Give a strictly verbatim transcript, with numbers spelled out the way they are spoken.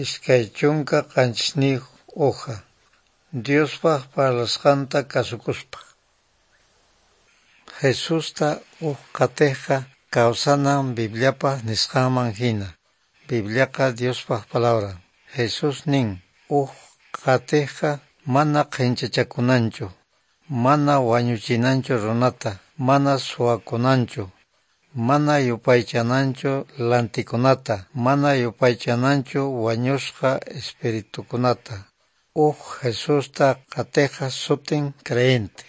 Iskay chunka qanchisniyuq hoja. Diospa parlasqanta kasukuspa. Jesusta uj qhatejqa kawsanan Bibliapa nisqanman hina. Bibliaqa Diospa palabran. Jesús nin, uj qhatejqa mana qhenchachakunanchu, mana wañuchinanchu runata, mana suwakunanchu, mana yupaychananchu lantikunata, mana yupaychananchu wañusqa espiritukunata. Uj Jesusta qhatejqa sutin creyente.